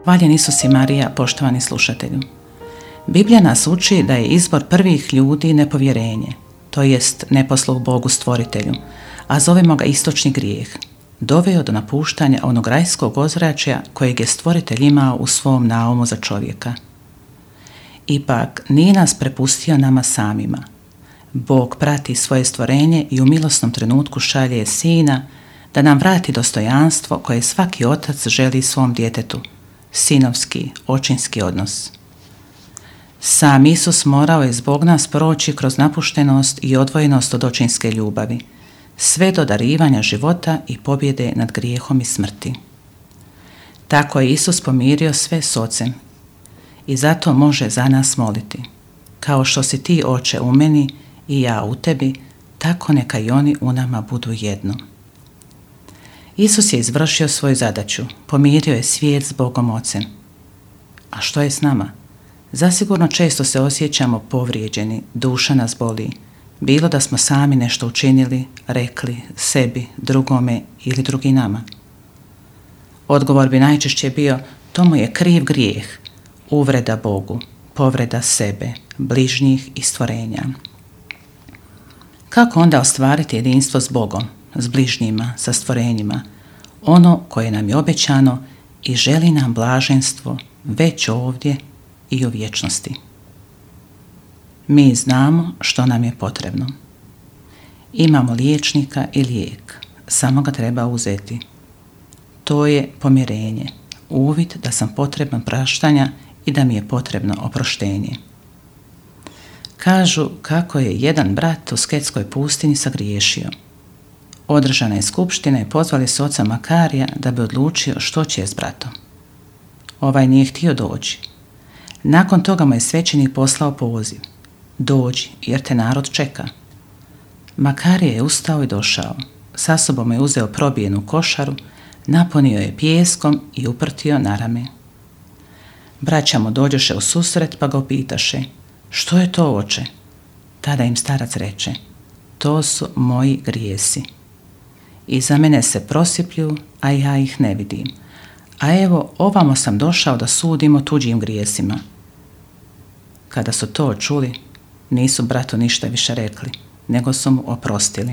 Hvaljen Isus i Marija, poštovani slušatelju. Biblija nas uči da je izbor prvih ljudi nepovjerenje, to jest neposluh Bogu stvoritelju, a zovemo ga istočni grijeh, doveo do napuštanja onog rajskog ozračja kojeg je stvoritelj imao u svom naumu za čovjeka. Ipak nije nas prepustio nama samima. Bog prati svoje stvorenje i u milosnom trenutku šalje Sina da nam vrati dostojanstvo koje svaki otac želi svom djetetu, sinovski, očinski odnos. Sam Isus morao je zbog nas proći kroz napuštenost i odvojenost od očinske ljubavi, sve do darivanja života i pobjede nad grijehom i smrti. Tako je Isus pomirio sve s Ocem i zato može za nas moliti. Kao što si ti, Oče, u meni i ja u tebi, tako neka i oni u nama budu jedno. Isus je izvršio svoju zadaću, pomirio je svijet s Bogom Ocem. A što je s nama? Zasigurno često se osjećamo povrijeđeni, duša nas boli, bilo da smo sami nešto učinili, rekli, sebi, drugome ili drugi nama. Odgovor bi najčešće bio, to mu je kriv grijeh, uvreda Bogu, povreda sebe, bližnjih i stvorenja. Kako onda ostvariti jedinstvo s Bogom, s bližnjima, sa stvorenjima, ono koje nam je obećano i želi nam blaženstvo već ovdje i u vječnosti? Mi znamo što nam je potrebno. Imamo liječnika i lijek, samo ga treba uzeti. To je pomirenje, uvid da sam potreban praštanja i da mi je potrebno oproštenje. Kažu kako je jedan brat u Sketskoj pustinji sagriješio. Održana je skupština i pozvali su oca Makarija da bi odlučio što će s bratom. Ovaj nije htio doći. Nakon toga mu je svećenik poslao poziv. Dođi, jer te narod čeka. Makarije je ustao i došao. Sa sobom je uzeo probijenu košaru, napunio je pijeskom i uprtio na rame. Braća mu dođoše u susret pa ga upitaše, što je to, oče? Tada im starac reče, to su moji grijesi. Iza mene se prosiplju, a ja ih ne vidim. A evo, ovamo sam došao da sudim o tuđim grijesima. Kada su to čuli, nisu bratu ništa više rekli, nego su mu oprostili.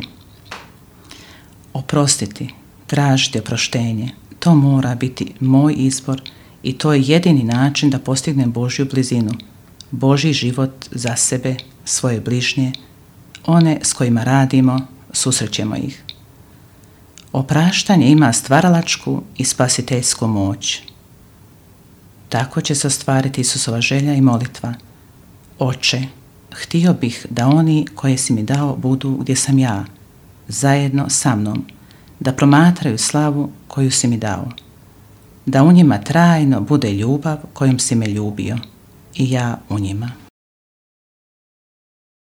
Oprostiti, tražiti oproštenje, to mora biti moj izbor i to je jedini način da postignem Božju blizinu, Božji život za sebe, svoje bližnje, one s kojima radimo, susrećemo ih. Opraštanje ima stvaralačku i spasiteljsku moć. Tako će se ostvariti Isusova želja i molitva. Oče, htio bih da oni koje si mi dao budu gdje sam ja, zajedno sa mnom, da promatraju slavu koju si mi dao, da u njima trajno bude ljubav kojom si me ljubio i ja u njima.